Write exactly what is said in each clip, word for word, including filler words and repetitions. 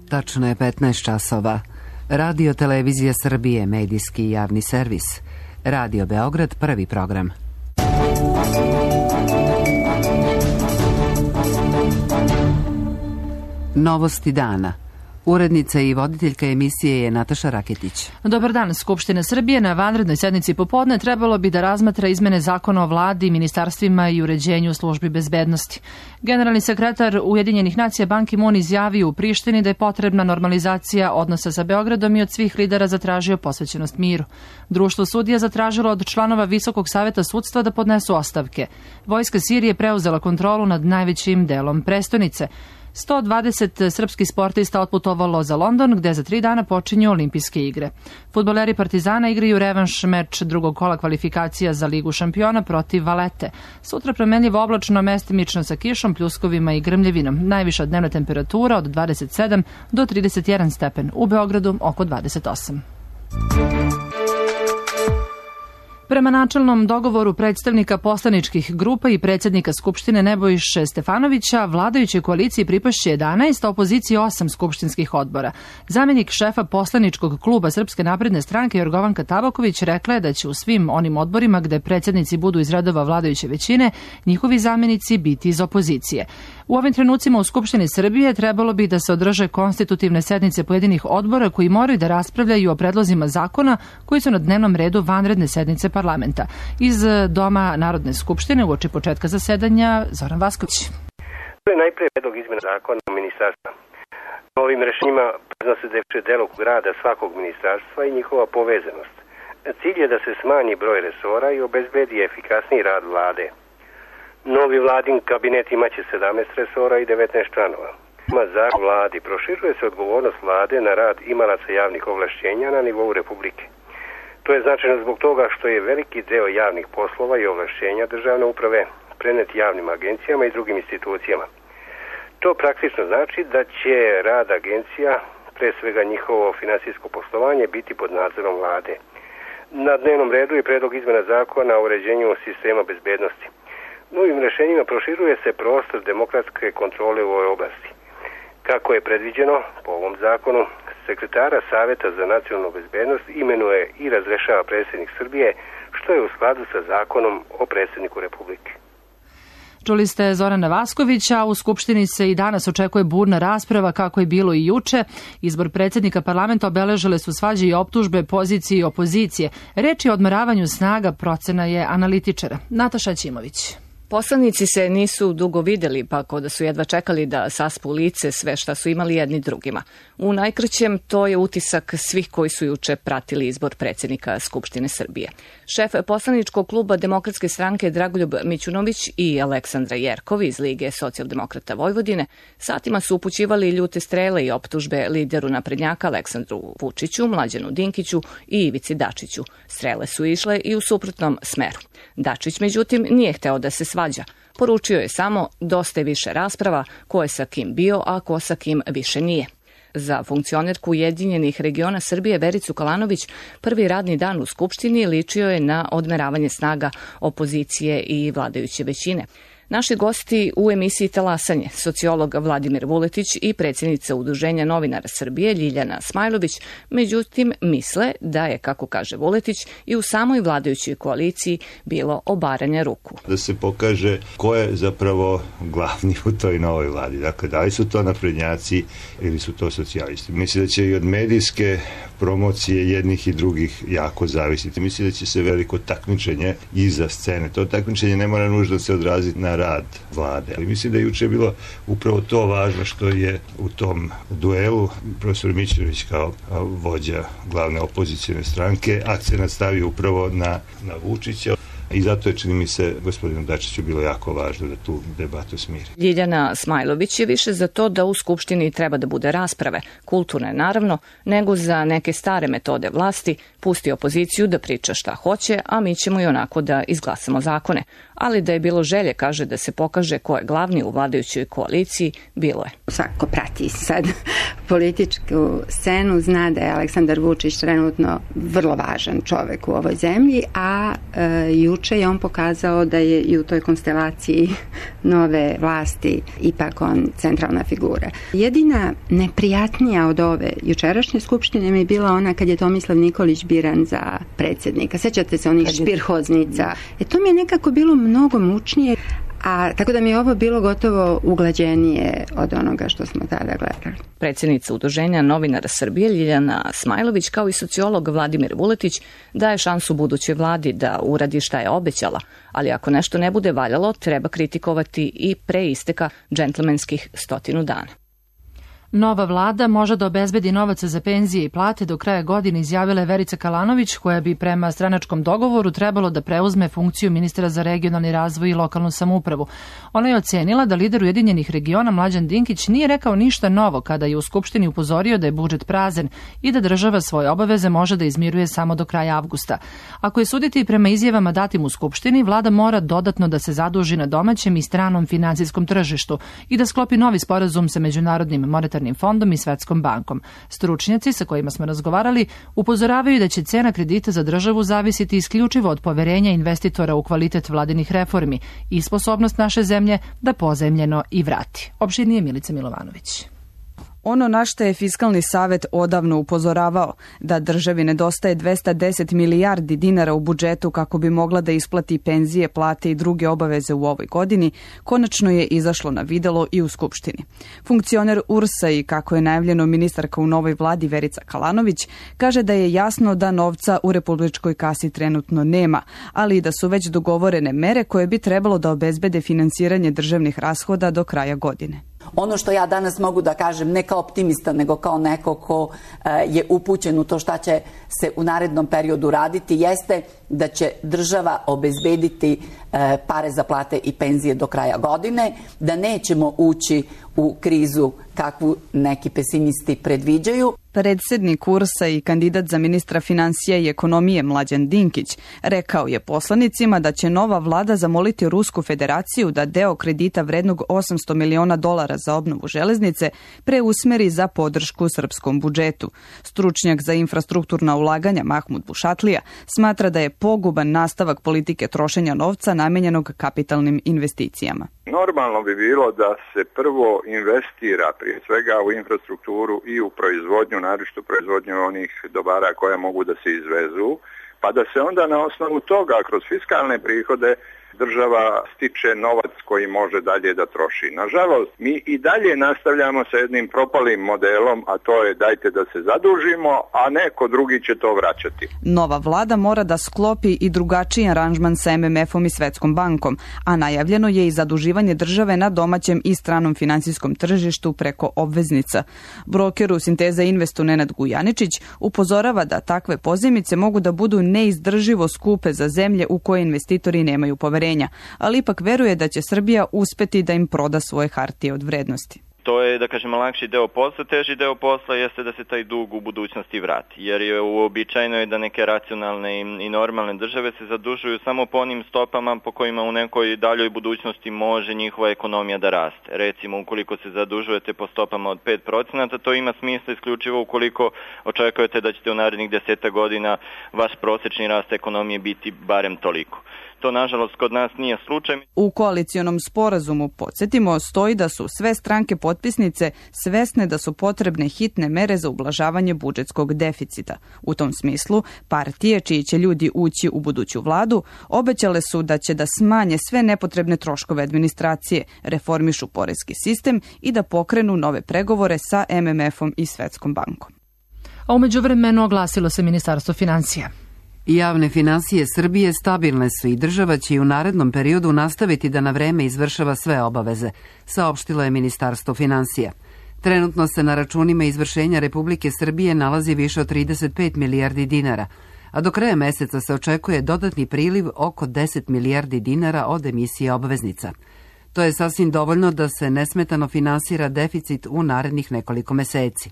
Tačno je petnaest časova. Radio Televizija Srbije, medijski i javni servis. Radio Beograd, prvi program. Novosti dana. Urednica i voditeljka emisije je Nataša Raketić. Dobar dan. Skupština Srbije na vanrednoj sednici popodne trebalo bi da razmatra izmene zakona o vladi, ministarstvima i uređenju službi bezbednosti. Generalni sekretar Ujedinjenih nacija Ban Ki-moon izjavio u Prištini da je potrebna normalizacija odnosa sa Beogradom i od svih lidera zatražio posvećenost miru. Društvo sudija zatražilo od članova Visokog saveta sudstva da podnesu ostavke. Vojska Sirije preuzela kontrolu nad najvećim delom prestonice. sto dvadeset srpskih sportista otputovalo za London, gde za tri dana počinju olimpijske igre. Fudbaleri Partizana igraju revanš meč drugog kola kvalifikacija za Ligu šampiona protiv Valete. Sutra promenljivo oblačno, mestimično sa kišom, pljuskovima i grmljevinom. Najviša dnevna temperatura od dvadeset sedam do trideset jedan stepen. U Beogradu oko dvadeset osam. Prema načelnom dogovoru predstavnika poslaničkih grupa i predsjednika Skupštine Nebojše Stefanovića, vladajućoj koaliciji pripašće jedanaest, a opoziciji osam skupštinskih odbora. Zamjenik šefa poslaničkog kluba Srpske napredne stranke Jorgovanka Tabaković rekla je da će u svim onim odborima gde predsjednici budu iz redova vladajuće većine, njihovi zamjenici biti iz opozicije. U ovim trenucima u Skupštini Srbije trebalo bi da se održe konstitutivne sednice pojedinih odbora koji moraju da raspravljaju o predlozima zakona koji su na dnevnom redu vanredne sednice parlamenta. Iz Doma Narodne skupštine uoči početka zasedanja Zoran Vasković. To je najprije predlog izmjena zakona o ministarstva. Ovim rešenjima priznose da delokrug rada svakog ministarstva i njihova povezanost. Cilj je da se smanji broj resora i obezbedi efikasniji rad vlade. Novi vladin kabinet imaće sedamnaest resora i devetnaest članova. Ma zakon vladi proširuje se odgovornost vlade na rad imalaca javnih ovlašćenja na nivou Republike. To je značajno zbog toga što je veliki deo javnih poslova i ovlašćenja državne uprave prenet javnim agencijama i drugim institucijama. To praktično znači da će rad agencija, pre svega njihovo finansijsko poslovanje, biti pod nadzorom vlade. Na dnevnom redu je predlog izmena zakona o uređenju sistema bezbednosti. Novim rešenjima proširuje se prostor demokratske kontrole u ovoj oblasti. Kako je predviđeno po ovom zakonu, sekretara Saveta za nacionalnu bezbednost imenuje i razrešava predsjednik Srbije, što je u skladu sa zakonom o predsjedniku Republike. Čuli ste Zorana Vaskovića, u Skupštini se i danas očekuje burna rasprava kako je bilo i juče. Izbor predsjednika parlamenta obeležile su svađe i optužbe pozicije i opozicije. Reč je o odmeravanju snaga, procena je analitičara. Nataša Ćimović. Poslanici se nisu dugo videli, pa kao da su jedva čekali da saspu lice sve šta su imali jedni drugima. U najkraćem, to je utisak svih koji su juče pratili izbor predsjednika Skupštine Srbije. Šef poslaničkog kluba Demokratske stranke Dragoljub Mićunović i Aleksandra Jerkov iz Lige socijaldemokrata Vojvodine satima su upućivali ljute strele i optužbe lideru naprednjaka Aleksandru Vučiću, Mlađanu Dinkiću i Ivici Dačiću. Strele su išle i u suprotnom smeru. Dačić, međutim, nije hteo da se svađa. Poručio je samo dosta je više rasprava, ko je sa kim bio, a ko sa kim više nije. Za funkcionerku Ujedinjenih regiona Srbije Vericu Kalanović prvi radni dan u Skupštini ličio je na odmeravanje snaga opozicije i vladajuće većine. Naši gosti u emisiji Talasanje, sociolog Vladimir Vuletić i predsjednica Udruženja novinara Srbije Ljiljana Smajlović, međutim misle da je, kako kaže Vuletić, i u samoj vladajućoj koaliciji bilo obaranja ruku. Da se pokaže ko je zapravo glavni u toj novoj vladi. Dakle, da li su to naprednjaci ili su to socijalisti. Mislim da će i od medijske promocije jednih i drugih jako zavisiti. Mislim da će se veliko takmičenje iza scene. To takmičenje ne mora nužno se odraziti na rad vlade. Ali mislim da je juče bilo upravo to važno što je u tom duelu profesor Mićunović kao vođa glavne opozicijne stranke akcenat stavio upravo na, na Vučića. I zato je, čini mi se, gospodinu Dačiću bilo jako važno da tu debatu smiri. Ljiljana Smajlović je više za to da u Skupštini treba da bude rasprave, kulturne naravno, nego za neke stare metode vlasti, pusti opoziciju da priča šta hoće, a mi ćemo i onako da izglasamo zakone. ali da je bilo želje, kaže, da se pokaže ko je glavni u vladajućoj koaliciji, bilo je. Svako prati sad političku scenu, zna da je Aleksandar Vučić trenutno vrlo važan čovek u ovoj zemlji, a e, juče je on pokazao da je i u toj konstelaciji nove vlasti ipak on centralna figura. Jedina neprijatnija od ove jučerašnje skupštine mi je bila ona kad je Tomislav Nikolić biran za predsjednika. Sećate se onih špirhoznica? E to mi je nekako bilo mnogo mučnije, a tako da mi je ovo bilo gotovo uglađenije od onoga što smo tada gledali. Predsjednica Udruženja novinara Srbije Ljiljana Smajlović kao i sociolog Vladimir Vuletić daje šansu budućoj vladi da uradi šta je obećala, ali ako nešto ne bude valjalo, treba kritikovati i pre isteka džentlmenskih stotinu dana. Nova vlada može da obezbedi novac za penzije i plate do kraja godine, izjavila je Verica Kalanović, koja bi prema stranačkom dogovoru trebalo da preuzme funkciju ministra za regionalni razvoj i lokalnu samoupravu. Ona je ocenila da lider Ujedinjenih regiona Mlađan Dinkić nije rekao ništa novo kada je u Skupštini upozorio da je budžet prazan i da država svoje obaveze može da izmiruje samo do kraja avgusta. Ako je suditi prema izjavama datim u Skupštini, vlada mora dodatno da se zaduži na domaćem i stranom finansijskom tržištu i da sklopi novi sporazum sa Međunarodnim monetarnim fondom i Svetskom bankom. Stručnjaci sa kojima smo razgovarali upozoravaju da će cena kredita za državu zavisiti isključivo od poverenja investitora u kvalitet vladinih reformi i sposobnost naše zemlje da pozajmljeno i vrati. Opširnije Milica Milovanović. Ono na što je Fiskalni savet odavno upozoravao, da državi nedostaje dvesta deset milijardi dinara u budžetu kako bi mogla da isplati penzije, plate i druge obaveze u ovoj godini, konačno je izašlo na videlo i u Skupštini. Funkcioner U R S-a i, kako je najavljeno, ministarka u novoj vladi Verica Kalanović, kaže da je jasno da novca u republičkoj kasi trenutno nema, ali i da su već dogovorene mere koje bi trebalo da obezbede finansiranje državnih rashoda do kraja godine. Ono što ja danas mogu da kažem, ne kao optimista, nego kao neko ko je upućen u to šta će se u narednom periodu raditi, jeste da će država obezbediti pare za plate i penzije do kraja godine, da nećemo ući u krizu kakvu neki pesimisti predviđaju. Predsednik U R S-a i kandidat za ministra finansija i ekonomije Mlađan Dinkić rekao je poslanicima da će nova vlada zamoliti Rusku federaciju da deo kredita vrednog osamsto miliona dolara za obnovu železnice preusmeri za podršku srpskom budžetu. Stručnjak za infrastrukturna ulaganja Mahmud Bušatlija smatra da je poguban nastavak politike trošenja novca namenjenog kapitalnim investicijama. Normalno bi bilo da se prvo investira prije svega u infrastrukturu i u proizvodnju, naročito proizvodnju onih dobara koje mogu da se izvezu, pa da se onda na osnovu toga kroz fiskalne prihode država stiče novac koji može dalje da troši. Nažalost, mi i dalje nastavljamo sa jednim propalim modelom, a to je dajte da se zadužimo, a neko drugi će to vraćati. Nova vlada mora da sklopi i drugačiji aranžman sa M M F-om i Svetskom bankom, a najavljeno je i zaduživanje države na domaćem i stranom finansijskom tržištu preko obveznica. Broker u Sinteza Investu Nenad Gujaničić upozorava da takve pozajmice mogu da budu neizdrživo skupe za zemlje u koje investitori nemaju poverenja, ali ipak veruje da će Srbija uspeti da im proda svoje hartije od vrednosti. To je, da kažemo, lakši deo posla, teži deo posla jeste da se taj dug u budućnosti vrati, jer je uobičajeno je da neke racionalne i normalne države se zadužuju samo po onim stopama po kojima u nekoj daljoj budućnosti može njihova ekonomija da raste. Recimo, ukoliko se zadužujete po stopama od pet procenata, to ima smisla isključivo ukoliko očekujete da ćete u narednih deseta godina vaš prosečni rast ekonomije biti barem toliko. To, nažalost, kod nas nije slučaj. U koalicionom sporazumu, podsjetimo, stoji da su sve stranke potpisnice svesne da su potrebne hitne mere za ublažavanje budžetskog deficita. U tom smislu, partije, čiji će ljudi ući u buduću vladu, obećale su da će da smanje sve nepotrebne troškove administracije, reformišu poreski sistem i da pokrenu nove pregovore sa M M F-om i Svetskom bankom. A umeđu vremenu oglasilo se Ministarstvo finansija. Javne finansije Srbije stabilne su i država će i u narednom periodu nastaviti da na vreme izvršava sve obaveze, saopštilo je Ministarstvo finansija. Trenutno se na računima izvršenja Republike Srbije nalazi više od trideset pet milijardi dinara, a do kraja meseca se očekuje dodatni priliv oko deset milijardi dinara od emisije obveznica. To je sasvim dovoljno da se nesmetano finansira deficit u narednih nekoliko meseci.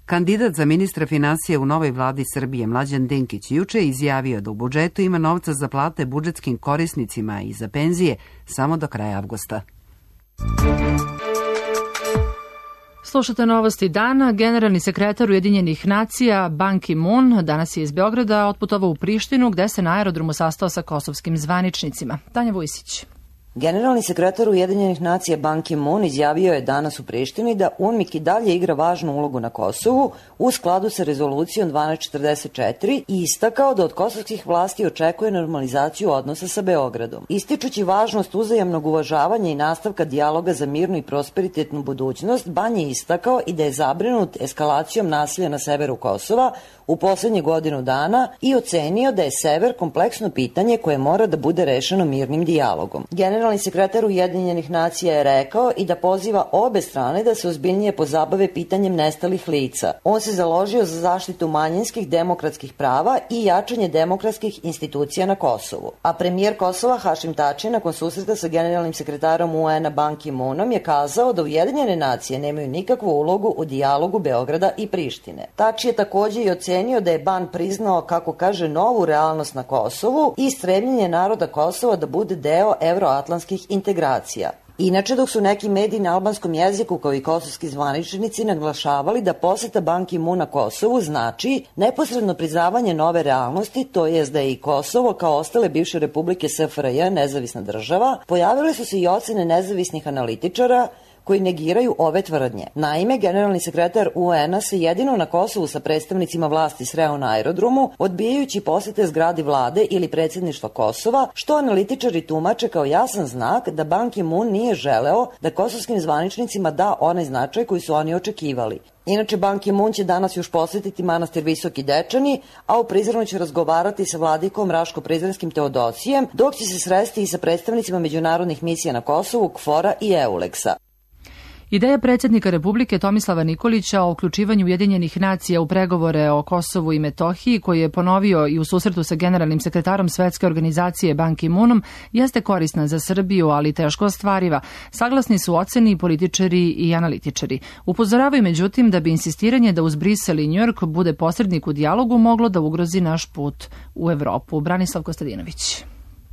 Kandidat za ministra finansija u novoj vladi Srbije Mlađan Dinkić juče je izjavio da u budžetu ima novca za plate budžetskim korisnicima i za penzije samo do kraja avgusta. Slušate novosti dana. Generalni sekretar Ujedinjenih nacija Ban Ki-moon danas je iz Beograda otputovao u Prištinu gde se na aerodromu sastao sa kosovskim zvaničnicima. Tanja Vujsić. Generalni sekretar Ujedinjenih nacija Ban Ki-moon izjavio je danas u Prištini da UNMIK i dalje igra važnu ulogu na Kosovu u skladu sa rezolucijom dvanaest četrdeset četiri i istakao da od kosovskih vlasti očekuje normalizaciju odnosa sa Beogradom. Ističući važnost uzajamnog uvažavanja i nastavka dijaloga za mirnu i prosperitetnu budućnost, Ban je istakao i da je zabrinut eskalacijom nasilja na severu Kosova u poslednje godinu dana i ocenio da je sever kompleksno pitanje koje mora da bude rešeno mirnim dijalogom. Generalni sekretar Ujedinjenih nacija je rekao i da poziva obe strane da se ozbiljnije pozabave pitanjem nestalih lica. On se založio za zaštitu manjinskih demokratskih prava i jačanje demokratskih institucija na Kosovu. A premijer Kosova Hašim Tači nakon susreta sa generalnim sekretarom U N-a Ban Ki-moonom je kazao da Ujedinjene nacije nemaju nikakvu ulogu u dijalogu Beograda i Prištine. Tači je takođe i ocenio da je Ban priznao, kako kaže, novu realnost na Kosovu i stremljenje naroda Kosova da bude deo evroatlantskih integracija. Inače, dok su neki mediji na albanskom jeziku kao i kosovski zvaničnici naglašavali da poseta Ban Ki-moona Kosovu znači neposredno priznavanje nove realnosti, to jest da je i Kosovo kao ostale bivše republike S F R J nezavisna država, pojavile su se i ocene nezavisnih analitičara koji negiraju ove tvrdnje. Naime, generalni sekretar U N-a se jedino na Kosovu sa predstavnicima vlasti sreo na aerodromu, odbijajući posete zgradi vlade ili predsjedništva Kosova, što analitičari tumače kao jasan znak da Ban Ki-moon nije želeo da kosovskim zvaničnicima da onaj značaj koji su oni očekivali. Inače, Ban Ki-moon će danas još posjetiti manastir Visoki Dečani, a u Prizrenu će razgovarati sa vladikom Raško-Prizrenskim Teodosijem, dok će se sresti i sa predstavnicima međunarodnih misija na Kosovu, KFOR-a i EULEX-a. Ideja predsjednika Republike Tomislava Nikolića o uključivanju Ujedinjenih nacija u pregovore o Kosovu i Metohiji, koji je ponovio i u susretu sa generalnim sekretarom Svetske organizacije Ban Ki-moonom, jeste korisna za Srbiju, ali teško ostvariva. Saglasni su oceni i političari i analitičari. Upozoravaju međutim da bi insistiranje da uz Brisel i Njujork bude posrednik u dijalogu moglo da ugrozi naš put u Evropu. Branislav Kostadinović.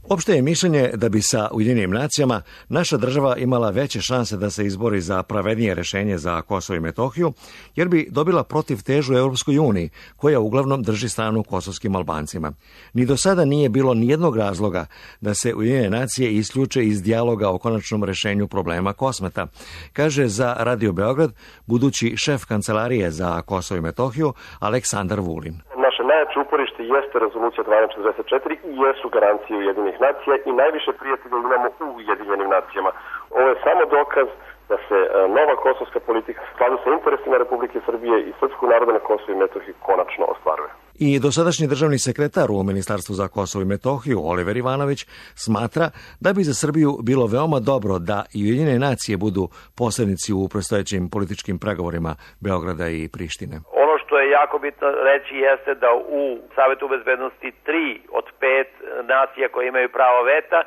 Opšte je mišljenje da bi sa Ujedinjenim nacijama naša država imala veće šanse da se izbori za pravednije rešenje za Kosovo i Metohiju, jer bi dobila protivtežu Evropskoj uniji, koja uglavnom drži stranu kosovskim Albancima. Ni do sada nije bilo nijednog razloga da se Ujedinjene nacije isključe iz dijaloga o konačnom rešenju problema Kosmeta, kaže za Radio Beograd budući šef kancelarije za Kosovo i Metohiju Aleksandar Vulin. Naše najjače uporište jeste rezolucija dvanaest četrdeset četiri i jesu garancije Ujedinjenih nacija i najviše prijatelja imamo u Ujedinjenim nacijama. Ovo je samo dokaz da se nova kosovska politika u skladu sa interesima Republike Srbije i srpskog naroda na Kosovu i Metohiji konačno ostvaruje. I dosadašnji državni sekretar u Ministarstvu za Kosovo i Metohiju, Oliver Ivanović, smatra da bi za Srbiju bilo veoma dobro da i Ujedinjene nacije budu posrednici u predstojećim političkim pregovorima Beograda i Prištine. Ono što je jako bitno reći jeste da u Savetu bezbednosti tri od pet nacija koje imaju pravo veta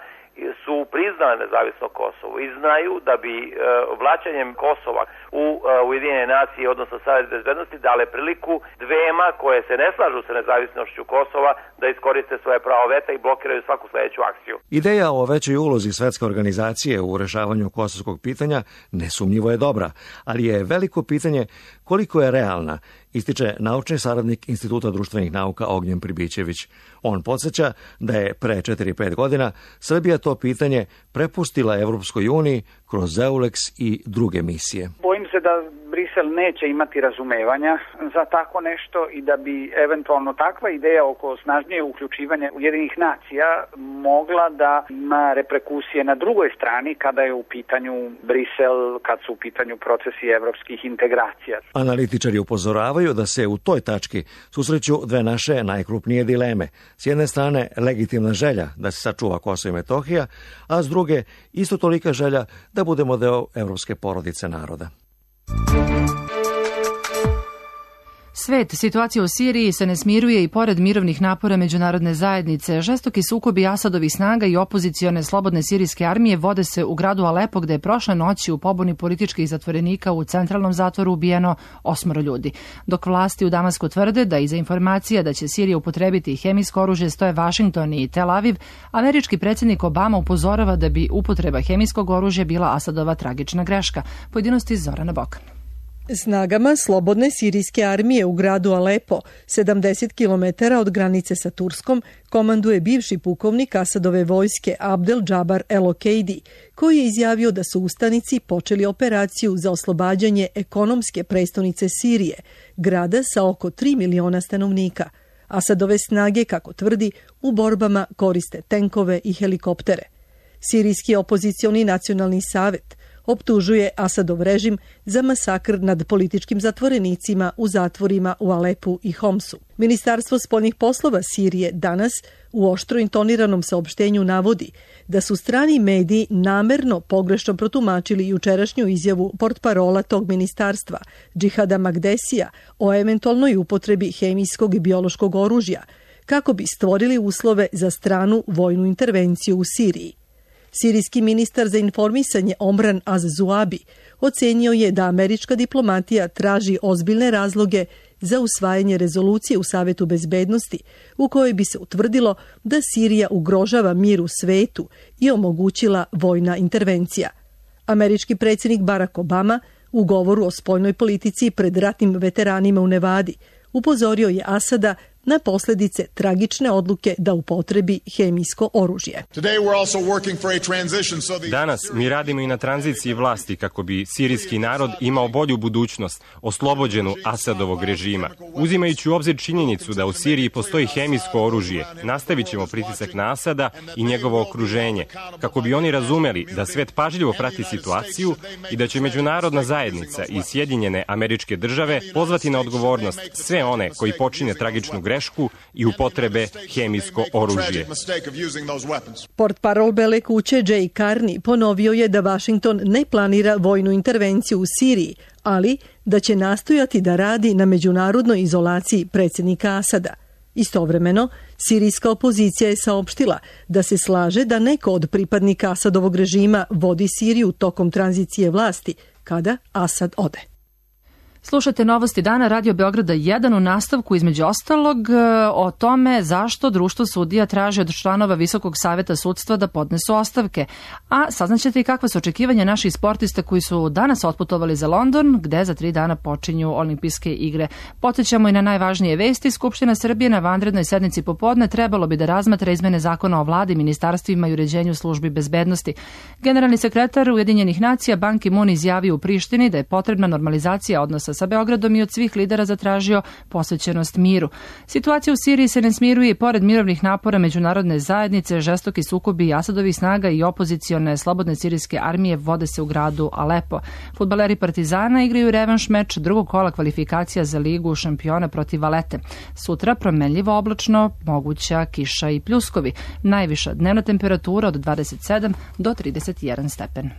su priznale nezavisno Kosovo i znaju da bi e, vlaćanjem Kosova u e, Ujedinjene nacije, odnosno Savet bezbednosti, dale priliku dvema koje se ne slažu sa nezavisnošću Kosova da iskoriste svoje pravo veta i blokiraju svaku sledeću akciju. Ideja o većoj ulozi Svetske organizacije u rešavanju kosovskog pitanja nesumnjivo je dobra, ali je veliko pitanje koliko je realna, ističe naučni saradnik Instituta društvenih nauka Ognjen Pribićević. On podsjeća da je pre četiri pet godina Srbija to pitanje prepustila Evropskoj uniji kroz EULEX i druge misije. Bojim se da Brisel neće imati razumevanja za tako nešto i da bi eventualno takva ideja oko snažnije uključivanja Ujedinjenih nacija mogla da ima reperkusije na drugoj strani kada je u pitanju Brisel, kad su u pitanju procesi evropskih integracija. Analitičari upozoravaju da se u toj tački susreću dve naše najkrupnije dileme. S jedne strane legitimna želja da se sačuva Kosovo i Metohija, a s druge isto tolika želja da budemo deo evropske porodice naroda. svet, situacija u Siriji se ne smiruje i pored mirovnih napora međunarodne zajednice. Žestoki sukobi Asadovih snaga i opozicione slobodne sirijske armije vode se u gradu Alepo, gde je prošle noći u pobuni političkih zatvorenika u centralnom zatvoru ubijeno osmoro ljudi. Dok vlasti u Damasku tvrde da iza informacija da će Sirija upotrebiti hemijsko oružje stoje Vašington i Tel Aviv, američki predsjednik Obama upozorava da bi upotreba hemijskog oružja bila Asadova tragična greška. Pojedinosti Zorana Bokan. Snagama slobodne sirijske armije u gradu Alepo, sedamdeset kilometara od granice sa Turskom, komanduje bivši pukovnik Asadove vojske Abdel Džabar el-Okeidi, koji je izjavio da su ustanici počeli operaciju za oslobađanje ekonomske prestonice Sirije, grada sa oko tri miliona stanovnika. Asadove snage, kako tvrdi, u borbama koriste tenkove i helikoptere. Sirijski opozicioni nacionalni savet optužuje Asadov režim za masakr nad političkim zatvorenicima u zatvorima u Alepu i Homsu. Ministarstvo spoljnih poslova Sirije danas u oštro intoniranom saopštenju navodi da su strani mediji namerno pogrešno protumačili jučerašnju izjavu portparola tog ministarstva, Džihada Magdesija, o eventualnoj upotrebi hemijskog i biološkog oružja, kako bi stvorili uslove za stranu vojnu intervenciju u Siriji. Sirijski ministar za informisanje Omran Az-Zuabi ocenio je da američka diplomatija traži ozbiljne razloge za usvajanje rezolucije u Savetu bezbednosti u kojoj bi se utvrdilo da Sirija ugrožava mir u svetu i omogućila vojna intervencija. Američki predsjednik Barack Obama u govoru o spoljnoj politici pred ratnim veteranima u Nevadi upozorio je Asada na posljedice tragične odluke da upotrebi hemijsko oružje. Danas mi radimo i na tranziciji vlasti kako bi sirijski narod imao bolju budućnost, oslobođenu Asadovog režima. Uzimajući u obzir činjenicu da u Siriji postoji hemijsko oružje, nastavit ćemo pritisak na Asada i njegovo okruženje, kako bi oni razumeli da svet pažljivo prati situaciju i da će međunarodna zajednica i Sjedinjene Američke Države pozvati na odgovornost sve one koji počine tragičnu grešku i upotrebe hemijsko oružje. Portparol Bele kuće Jay Carney ponovio je da Vašington ne planira vojnu intervenciju u Siriji, ali da će nastojati da radi na međunarodnoj izolaciji predsjednika Asada. Istovremeno, sirijska opozicija je saopštila da se slaže da neko od pripadnika Asadovog režima vodi Siriju tokom tranzicije vlasti, kada Asad ode. Slušajte novosti dana Radio Beograda jedan u nastavku između ostalog o tome zašto društvo sudija traži od članova Visokog saveta sudstva da podnesu ostavke. A saznaćete i kakva su očekivanja naših sportista koji su danas otputovali za London, gde za tri dana počinju olimpijske igre. Podsjećamo i na najvažnije vesti. Skupština Srbije na vanrednoj sednici popodne trebalo bi da razmatra izmene zakona o vladi, ministarstvima i uređenju službi bezbednosti. Generalni sekretar Ujedinjenih nacija Ban Ki-moon izjavio u Prištini da je potrebna normalizacija odnosa sa Beogradom i od svih lidera zatražio posvećenost miru. Situacija u Siriji se ne smiruje i pored mirovnih napora međunarodne zajednice, žestoki sukobi Asadovih snaga i opozicione slobodne sirijske armije vode se u gradu Alepo. Fudbaleri Partizana igraju revanš meč drugog kola kvalifikacija za ligu šampiona protiv Valete. Sutra promenljivo oblačno, moguća kiša i pljuskovi. Najviša dnevna temperatura od dvadeset sedam do trideset jedan stepen.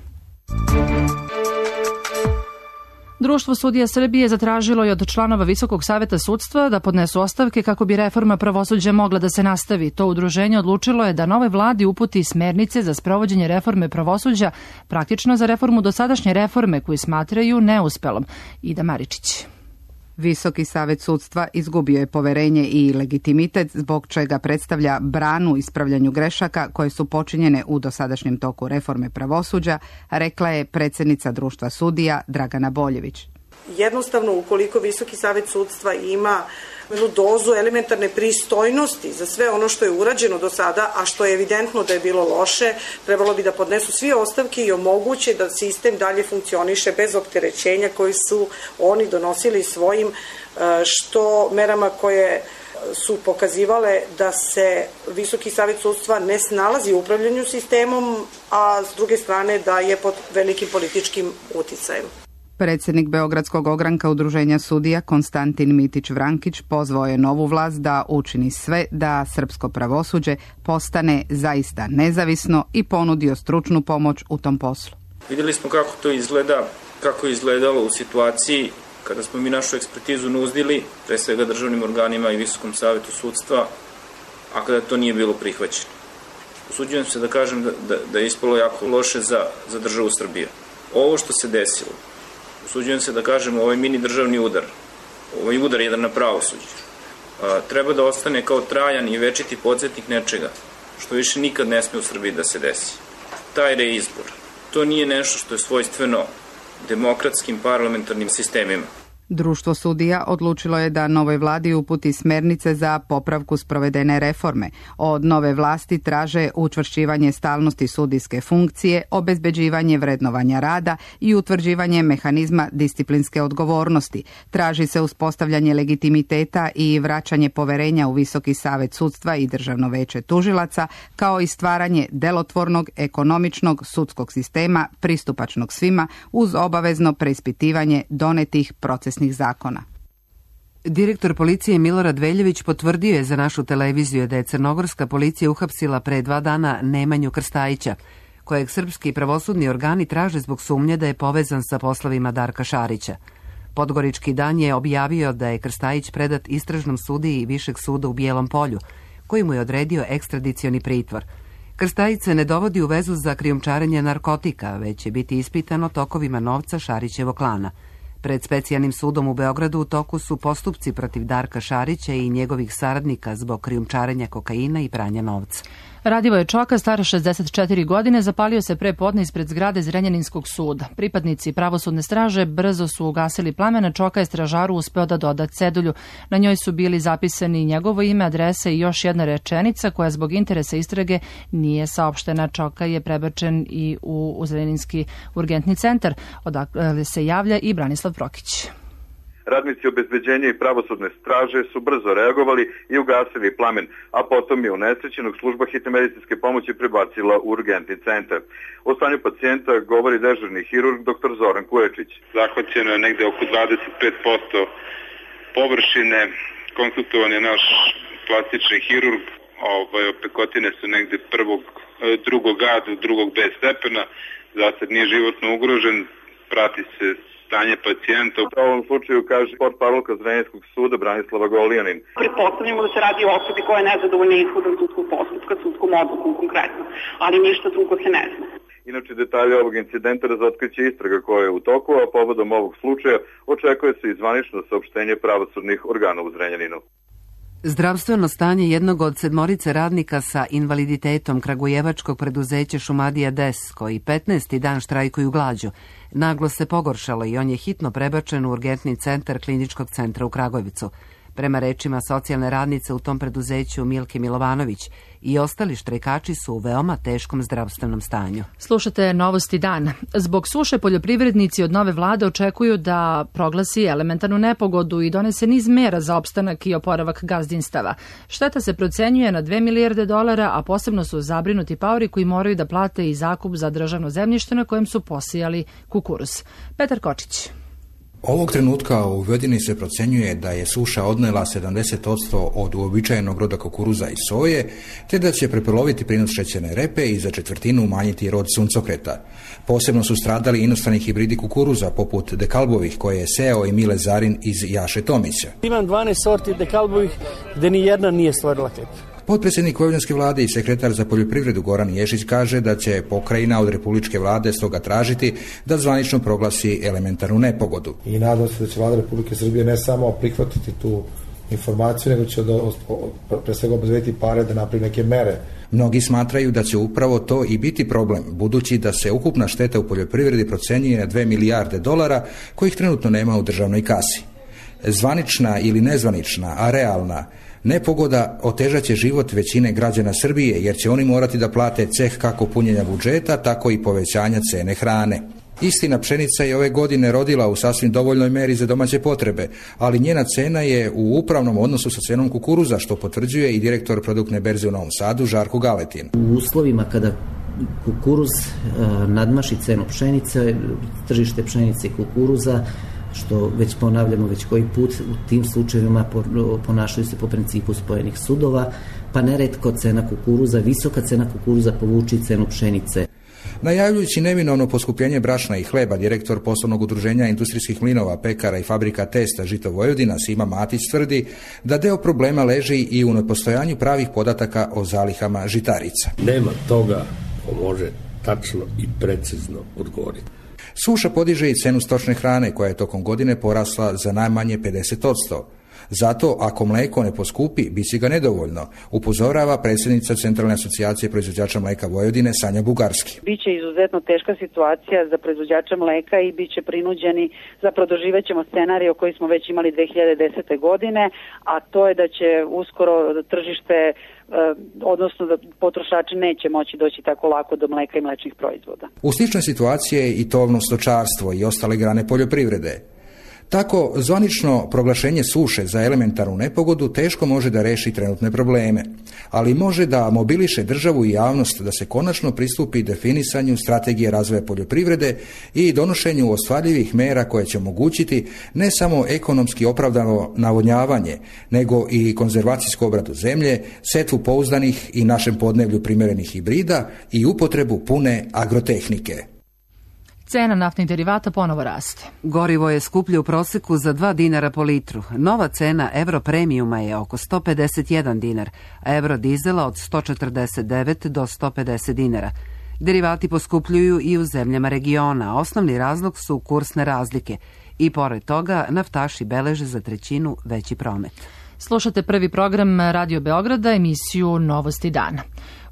Društvo sudija Srbije zatražilo je od članova Visokog saveta sudstva da podnesu ostavke kako bi reforma pravosuđa mogla da se nastavi. To udruženje odlučilo je da novoj vladi uputi smernice za sprovođenje reforme pravosuđa, praktično za reformu dosadašnje reforme koju smatraju neuspelom. Ida Maričić. Visoki savet sudstva izgubio je poverenje i legitimitet, zbog čega predstavlja branu ispravljanju grešaka koje su počinjene u dosadašnjem toku reforme pravosuđa, rekla je predsjednica društva sudija Dragana Boljević. Jednostavno, ukoliko Visoki savet sudstva ima jednu dozu elementarne pristojnosti za sve ono što je urađeno do sada, a što je evidentno da je bilo loše, trebalo bi da podnesu svi ostavke i omoguće da sistem dalje funkcioniše bez opterećenja koji su oni donosili svojim što merama koje su pokazivale da se Visoki savet sudstva ne snalazi u upravljanju sistemom, a s druge strane da je pod velikim političkim uticajem. Predsjednik Beogradskog ogranka udruženja sudija Konstantin Mitić-Vrankić pozvao je novu vlast da učini sve da srpsko pravosuđe postane zaista nezavisno i ponudio stručnu pomoć u tom poslu. Vidjeli smo kako to izgleda, kako je izgledalo u situaciji Kada smo mi našu ekspertizu nudili, pre svega državnim organima i Visokom savetu sudstva, a kada to nije bilo prihvaćeno. Usuđujem se da kažem da, da, da je ispalo jako loše za, za državu Srbije. Ovo što se desilo, usuđujem se da kažem, ovaj mini državni udar, ovaj udar jedan na pravosuđe, a, treba da ostane kao trajan i večiti podsjetnik nečega, što više nikad ne sme u Srbiji da se desi. Taj reizbor, to nije nešto što je svojstveno demokratskim parlamentarnim sistemima. Društvo sudija odlučilo je da novoj vladi uputi smernice za popravku sprovedene reforme. Od nove vlasti traže učvršćivanje stalnosti sudijske funkcije, obezbeđivanje vrednovanja rada i utvrđivanje mehanizma disciplinske odgovornosti. Traži se uspostavljanje legitimiteta i vraćanje poverenja u Visoki savet sudstva i Državno veće tužilaca, kao i stvaranje delotvornog, ekonomičnog sudskog sistema pristupačnog svima uz obavezno preispitivanje donetih procesnih zakona. Direktor policije Milorad Veljević potvrdio je za našu televiziju da je crnogorska policija uhapsila pre dva dana Nemanju Krstajića, kojeg srpski pravosudni organi traže zbog sumnje da je povezan sa poslovima Darka Šarića. Podgorički dan je objavio da je Krstajić predat istražnom sudiji Višeg suda u Bijelom Polju, koji mu je odredio ekstradicioni pritvor. Krstajić se ne dovodi u vezu za krijumčarenje narkotika, već će biti ispitan o tokovima novca Šarićevog klana. Pred Specijalnim sudom u Beogradu u toku su postupci protiv Darka Šarića i njegovih saradnika zbog krijumčarenja kokaina i pranja novca. Radivoje Čoka, star šezdeset četiri godine, zapalio se pre podne ispred zgrade Zrenjaninskog suda. Pripadnici pravosudne straže brzo su ugasili plamena. Čoka je stražaru uspeo da doda cedulju. Na njoj su bili zapisani njegovo ime, adresa i još jedna rečenica koja zbog interesa istrage nije saopštena. Čoka je prebačen i u Zrenjaninski urgentni centar, odakle se javlja i Branislav Prokić. Radnici obezbeđenja i pravosudne straže su brzo reagovali i ugasili plamen, a potom je unesrećenog služba hitne medicinske pomoći prebacila u urgentni centar. O stanju pacijenta govori dežurni hirurg dr. Zoran Kuječić. Zahvaćeno je negde oko dvadeset pet posto površine, konsultovan je naš plastični hirurg, ovaj, opekotine su negde prvog, drugog A do drugog B stepena, zasad nije životno ugrožen, prati se stanje pacijenta. U ovom slučaju kaže portparolka Zrenjaninskog suda Branislava Golijanin. Pretpostavljamo da se radi o osobi koja je nezadovoljna ishodom sudskog postupka, sudskom odlukom konkretno, ali ništa drugo se ne zna. Inače, detalje ovog incidenta razotkriće istraga koja je u toku, a povodom ovog slučaja očekuje se i zvanično saopštenje pravosudnih organa u Zrenjaninu. Zdravstveno stanje jednog od sedmorice radnika sa invaliditetom kragujevačkog preduzeća Šumadija Des, koji petnaesti dan štrajkuju glađu, naglo se pogoršalo i on je hitno prebačen u urgentni centar Kliničkog centra u Kragujevcu. Prema rečima socijalne radnice u tom preduzeću Milke Milovanović, i ostali štrajkači su u veoma teškom zdravstvenom stanju. Slušate Novosti dana. Zbog suše poljoprivrednici od nove vlade očekuju da proglasi elementarnu nepogodu i donese niz mera za opstanak i oporavak gazdinstava. Šteta se procenjuje na dve milijarde dolara, a posebno su zabrinuti paori koji moraju da plate i zakup za državno zemljište na kojem su posijali kukuruz. Petar Kočić. Ovog trenutka u Vojvodini se procenjuje da je suša odnela sedamdeset posto od uobičajenog roda kukuruza i soje, te da će prepoloviti prinos šećerne repe i za četvrtinu umanjiti rod suncokreta. Posebno su stradali inostrani hibridi kukuruza, poput dekalbovih koje je seo i Mile Zarin iz Jaše Tomića. Imam dvanaest sorti dekalbovih gde ni jedna nije stvorila klep. Potpredsjednik Vojvodinske vlade i sekretar za poljoprivredu Goran Ješić kaže da će pokrajina od republičke vlade stoga tražiti da zvanično proglasi elementarnu nepogodu. I nadam se da će vlada Republike Srbije ne samo prihvatiti tu informaciju, nego će da, pre svega obezbediti pare da napravi neke mere. Mnogi smatraju da će upravo to i biti problem, budući da se ukupna šteta u poljoprivredi procenjuje na dve milijarde dolara, kojih trenutno nema u državnoj kasi. Zvanična ili nezvanična, a realna nepogoda otežat će život većine građana Srbije, jer će oni morati da plate ceh kako punjenja budžeta, tako i povećanja cene hrane. Istina, pšenica je ove godine rodila u sasvim dovoljnoj meri za domaće potrebe, ali njena cena je u upravnom odnosu sa cenom kukuruza, što potvrđuje i direktor produktne berze u Novom Sadu, Žarko Galetin. U uslovima kada kukuruz nadmaši cenu pšenice, tržište pšenice i kukuruza, što već ponavljamo već koji put, u tim slučajevima ponašaju se po principu spojenih sudova, pa neretko cena kukuruza, visoka cena kukuruza povuči cenu pšenice. Najavljujući neminovno poskupljenje brašna i hleba, direktor poslovnog udruženja industrijskih mlinova, pekara i fabrika testa Žito Vojvodina Sima Matić tvrdi da deo problema leži i u nepostojanju pravih podataka o zalihama žitarica. Nema toga ko može tačno i precizno odgovoriti. Suša podiže i cenu stočne hrane koja je tokom godine porasla za najmanje pedeset posto. Zato, ako mleko ne poskupi, biće ga nedovoljno, upozorava predsjednica Centralne asocijacije proizvođača mleka Vojvodine Sanja Bugarski. Biće izuzetno teška situacija za proizvođača mleka i biće prinuđeni, zapravo doživećemo scenarij koji smo već imali dve hiljade desete. godine, a to je da će uskoro tržište, odnosno da potrošači neće moći doći tako lako do mleka i mlečnih proizvoda. U sličnoj situaciji je i tovno stočarstvo i ostale grane poljoprivrede. Tako, zvanično proglašenje suše za elementarnu nepogodu teško može da reši trenutne probleme, ali može da mobiliše državu i javnost da se konačno pristupi definisanju strategije razvoja poljoprivrede i donošenju ostvarljivih mera koje će omogućiti ne samo ekonomski opravdano navodnjavanje, nego i konzervacijsku obradu zemlje, setvu pouzdanih i našem podneblju primjerenih hibrida i upotrebu pune agrotehnike. Cena naftnih derivata ponovo raste. Gorivo je skuplje u proseku za dva dinara po litru. Nova cena Euro premiuma je oko sto pedeset jedan dinar, a Euro dizela od sto četrdeset devet do sto pedeset dinara. Derivati poskupljuju i u zemljama regiona, a osnovni razlog su kursne razlike. I pored toga, naftaši beleže za trećinu veći promet. Slušate prvi program Radio Beograda, emisiju Novosti dana.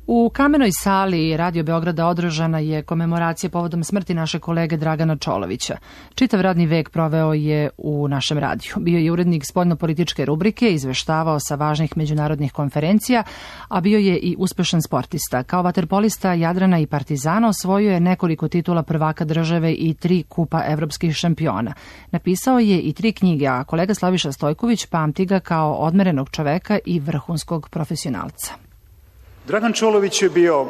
U kamenoj sali Radio Beograda održana je komemoracija povodom smrti naše kolege Dragana Čolovića. Čitav radni vek proveo je u našem radiju. Bio je urednik spoljnopolitičke rubrike, izveštavao sa važnih međunarodnih konferencija, a bio je i uspešan sportista. Kao vaterpolista Jadrana i Partizana osvojio je nekoliko titula prvaka države i tri kupa evropskih šampiona. Napisao je i tri knjige, a kolega Slaviša Stojković pamti ga kao odmerenog čoveka i vrhunskog profesionalca. Dragan Čolović je bio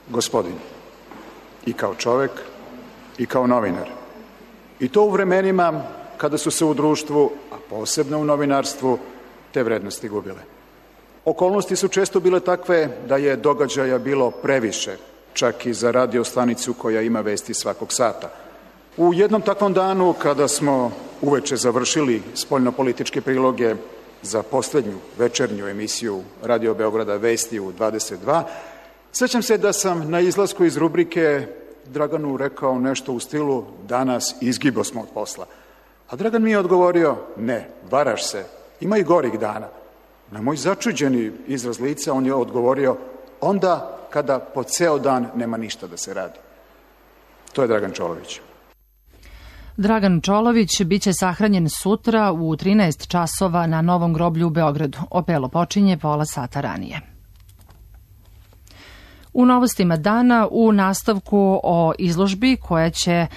gospodin i kao čovek i kao novinar. I to u vremenima kada su se u društvu, a posebno u novinarstvu, te vrednosti gubile. Okolnosti su često bile takve da je događaja bilo previše, čak i za radio stanicu koja ima vesti svakog sata. U jednom takvom danu, kada smo uveče završili spoljnopolitičke priloge za poslednju večernju emisiju Radio Beograda Vesti u dvadeset dva, sećam se da sam na izlasku iz rubrike Draganu rekao nešto u stilu danas izgibo smo od posla. A Dragan mi je odgovorio, ne, varaš se, ima i gorih dana. Na moj začuđeni izraz lica on je odgovorio, onda kada po ceo dan nema ništa da se radi. To je Dragan Čolović. Dragan Čolović biće sahranjen sutra u trinaest časova na Novom groblju u Beogradu. Opelo počinje pola sata ranije. U novostima dana u nastavku o izložbi koja će e,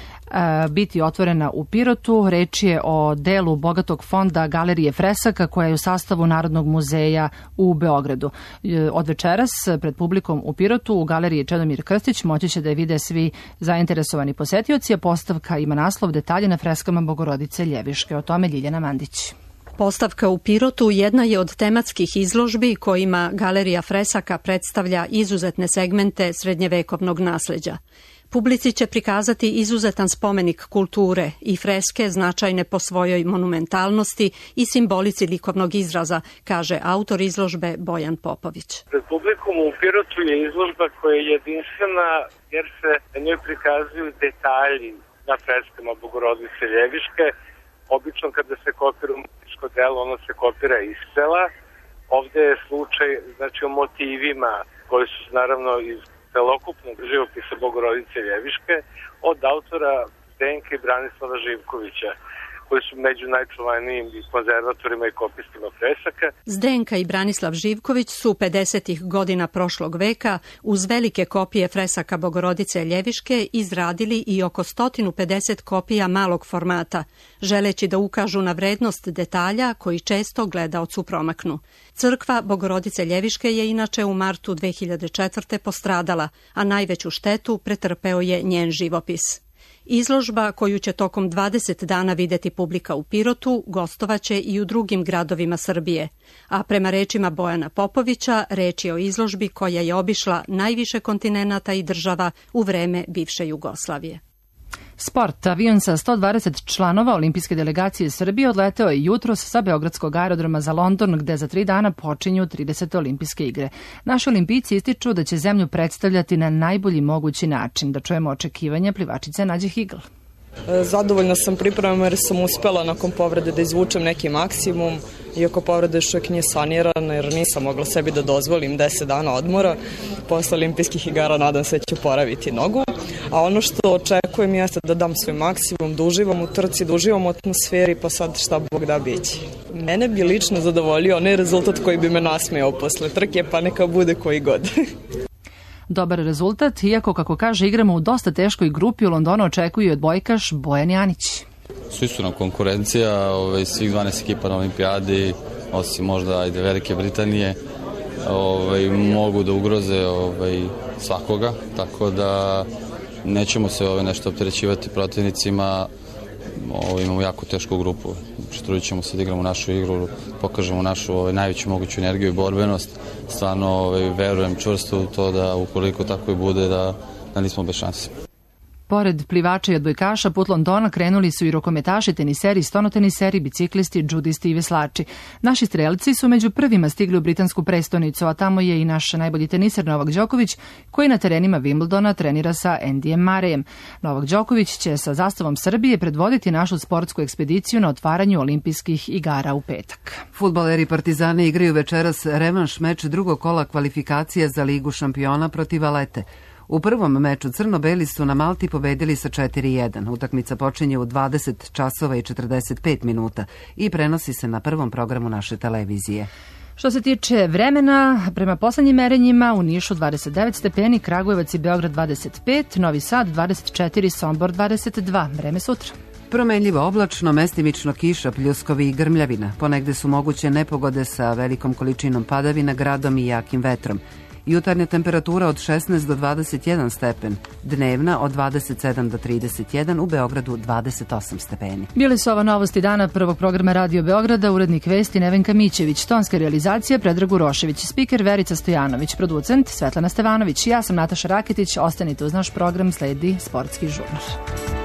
biti otvorena u Pirotu. Reč je o delu bogatog fonda Galerije Fresaka koja je u sastavu Narodnog muzeja u Beogradu. E, od večeras pred publikom u Pirotu u Galeriji Čedomir Krstić moći će da je vide svi zainteresovani posetioci, a postavka ima naslov Detalje na freskama Bogorodice Ljeviške. O tome Ljiljana Mandić. Postavka u Pirotu jedna je od tematskih izložbi kojima Galerija Fresaka predstavlja izuzetne segmente srednjevekovnog nasleđa. Publici će prikazati izuzetan spomenik kulture i freske značajne po svojoj monumentalnosti i simbolici likovnog izraza, kaže autor izložbe Bojan Popović. Pred publikom u Pirotu je izložba koja je jedinstvena jer se na njoj prikazuju detalji na freskama Bogorodice Ljeviške. Obično kada se kopira umetničko delo, ono se kopira iz sela. Ovde je slučaj, znači, o motivima koji su naravno iz celokupnog živopisa Bogorodice Ljeviške od autora Zdenke i Branislava Živkovića, koji su među najčuvanijim konzervatorima i kopistima fresaka. Zdenka i Branislav Živković su pedesetih godina prošlog veka uz velike kopije fresaka Bogorodice Ljeviške izradili i oko sto pedeset kopija malog formata, želeći da ukažu na vrednost detalja koji često gledaocu promaknu. Crkva Bogorodice Ljeviške je inače u martu dve hiljade četvrte postradala, a najveću štetu pretrpeo je njen živopis. Izložba koju će tokom dvadeset dana videti publika u Pirotu gostovaće i u drugim gradovima Srbije, a prema rečima Bojana Popovića reč je o izložbi koja je obišla najviše kontinenata i država u vreme bivše Jugoslavije. Sport. Avion sa sto dvadeset članova olimpijske delegacije Srbije odleteo je jutros sa Beogradskog aerodroma za London, gde za tri dana počinju tridesete olimpijske igre. Naši olimpijci ističu da će zemlju predstavljati na najbolji mogući način. Da čujemo očekivanja plivačice Nađe Higl. Zadovoljna sam pripremom jer sam uspela nakon povrede da izvučem neki maksimum, iako povreda još uvijek nije sanirana jer nisam mogla sebi da dozvolim deset dana odmora. Posle olimpijskih igara nadam se da ću poraviti nogu, a ono što očekujem jeste da dam svoj maksimum, da uživam u trci, da uživam u atmosferi, pa sad šta Bog da biće. Mene bi lično zadovoljio onaj rezultat koji bi me nasmejao posle trke, pa neka bude koji god. Dobar rezultat, iako, kako kaže, igramo u dosta teškoj grupi, u Londonu očekuje odbojkaš Bojan Janić. Svi su nam konkurencija, ovaj, svih dvanaest ekipa na olimpijadi, osim možda ajde Velike Britanije, ovaj, mogu da ugroze ovaj, svakoga, tako da nećemo se ovaj, nešto opterećivati protivnicima. Ovaj, imamo jako tešku grupu, trudit ćemo se da igramo našu igru, pokažemo našu ovaj, najveću moguću energiju i borbenost. Stvarno ovaj, verujem čvrsto u to da ukoliko tako i bude da, da nismo bez šanse. Pored plivača i odbojkaša, put Londona krenuli su i rukometaši, teniseri, stonoteniseri, biciklisti, džudisti i veslači. Naši strelci su među prvima stigli u britansku prestonicu, a tamo je i naš najbolji teniser Novak Đoković, koji na terenima Wimbledona trenira sa Andyjem Murrayem. Novak Đoković će sa zastavom Srbije predvoditi našu sportsku ekspediciju na otvaranju olimpijskih igara u petak. Fudbaleri Partizana igraju večeras revanš meč drugog kola kvalifikacije za Ligu šampiona protiv Valete. U prvom meču crno-beli su na Malti pobedili sa četiri jedan. Utakmica počinje u dvadeset časova i četrdeset pet minuta i prenosi se na prvom programu naše televizije. Što se tiče vremena, prema poslednjim merenjima u Nišu dvadeset devet stepeni, Kragujevac i Beograd dvadeset pet, Novi Sad dvadeset četiri, Sombor dvadeset dva. Vreme sutra. Promenljivo oblačno, mestimično kiša, pljuskovi i grmljavina. Ponegde su moguće nepogode sa velikom količinom padavina, gradom i jakim vetrom. Jutarnja temperatura od šesnaest do dvadeset jedan stepen, dnevna od dvadeset sedam do trideset jedan, u Beogradu dvadeset osam stepeni. Bili su ovo novosti dana prvog programa Radio Beograda, urednik vesti Nevenka Mićević, tonska realizacija Predrag Urošević, spiker Verica Stojanović, producent Svetlana Stevanović. Ja sam Nataša Raketić, ostanite uz naš program, sledi Sportski žurnar.